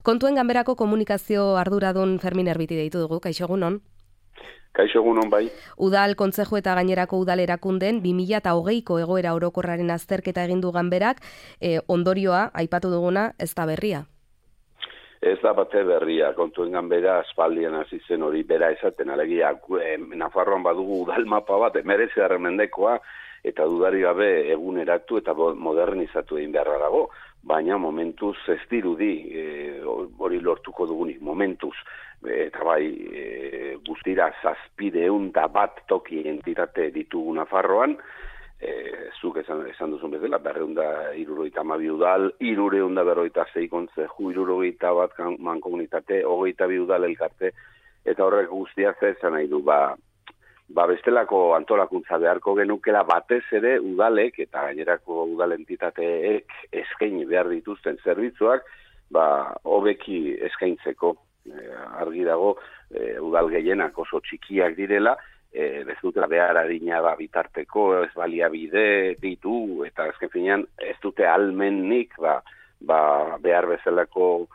Kontuen Ganberako komunikazio arduradun Fermin Erbiti deitu dugu, kaixo egunon. Kaixo egunon bai. Udal kontzeju eta gainerako udal erakunden 2020ko egoera orokorraren azterketa egin du Ganberak, ondorioa aipatu duguna ez da berria. Ez da bate berria, Kontuen Ganbera aspaldian hasi zen hori bera esaten, alegia Nafarroan badugu udal mapa bat, 19. mendekoa, eta dudari gabe eguneratu eta modernizatu egin beharra dago, baina momentuz ez dirudi hori lortuko dugunik, momentuz. Eta bai, guztira 701 toki entitate ditugu Nafarroan, zuk esan duzun bezala, 272 udal, 346 kontzeju, 71 mankomunitate, 22 udal elkarte, eta horrek guztia esan nahi du, bestelako antolakuntza beharko genukela batez ere udalek eta gainerako udal entitateek eskaini behar dituzten zerbitzuak, hobeki eskaintzeko. Argi dago, udal gehienak oso txikiak direla, ez dutela behar adina bitarteko, ez baliabide ditu, eta azken finean ez dute almennik behar bezalako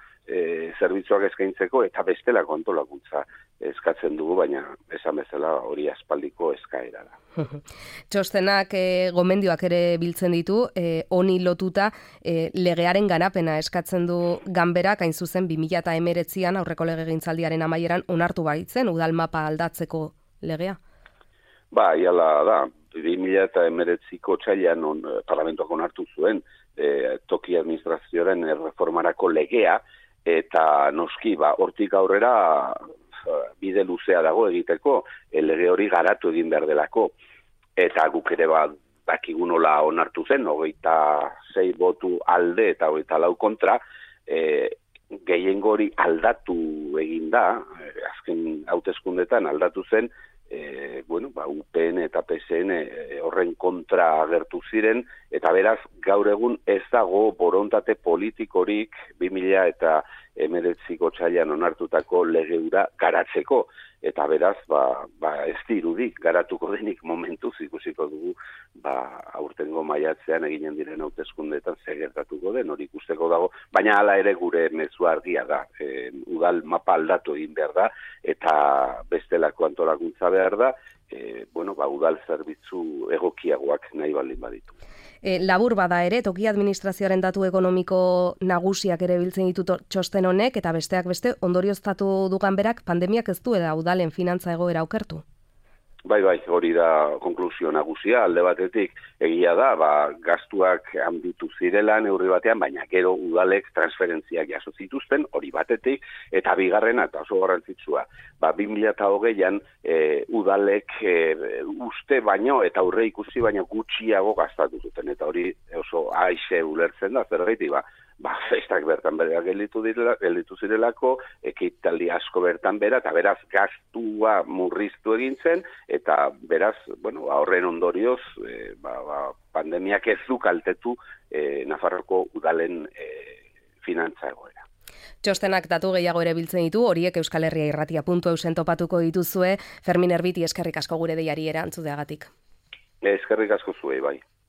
zerbitzuak eskaintzeko, eta bestelako antolakuntza eskatzen dugu, baina esan bezala hori aspaldiko eskaera da. Txostenak gomendioak ere biltzen ditu, honi lotuta legearen ganapena eskatzen du Ganberak, hain zuzen 2019an aurreko legegintzaldiaren amaieran onartu baitzen udal mapa aldatzeko legea. Iala da, 2019ko otsailean parlamentoak onartu zuen toki administrazioaren reformarako legea, eta noski, hortik aurrera bide luzea dago egiteko, lege hori garatu egin behar delako. Eta guk ere dakigu nola onartu zen, 26 botu alde eta 24 kontra, gehiengo hori aldatu egin da, azken hauteskundetan aldatu zen, UPN eta PSN horren kontra agertu ziren, eta beraz gaur egun ez dago borontate politikorik 2019ko otsailean onartutako lege hura garatzeko, eta beraz ez dirudi garatuko denik momentuz ikusiko dugu aurtengo maiatzean eginen diren hauteskundeetan zer gertatuko den, hori ikusteko dago, baina hala ere gure mezu argia da, udal mapa aldatu egin behar da, eta bestelako antolakuntza behar da, udal zerbitzu egokiagoak nahi baldin baditu. Labur bada ere, toki administrazioaren datu ekonomiko nagusiak ere biltzen ditu txosten honek, eta besteak beste ondorioztatu du Ganberak pandemiak ez duela udalen finantza egoera okertu. Bai, hori da konklusio nagusia, alde batetik egia da, gastuak handitu zirela neurri batean, baina gero udalek transferentziak jaso zituzten, hori batetik, eta bigarrena, eta oso garrantzitsua, 2020an udalek uste baino, eta aurre ikusi baino gutxiago gastatu zuten, eta hori oso aixe ulertzen da, zergatik, festak bertan bera gelditu zirelako, ekitaldi asko bertan bera, eta beraz gastua murriztu egin zen, eta beraz, horren ondorioz, pandemiak ez du kaltetu Nafarroko udalen finantza egoera. Txostenak datu gehiago ere biltzen ditu, horiek Euskal Herria Irratia.eusen topatuko dituzue. Fermin Erbiti, eskerrik asko gure deiari erantzuteagatik. Eskerrik asko zuei, bai.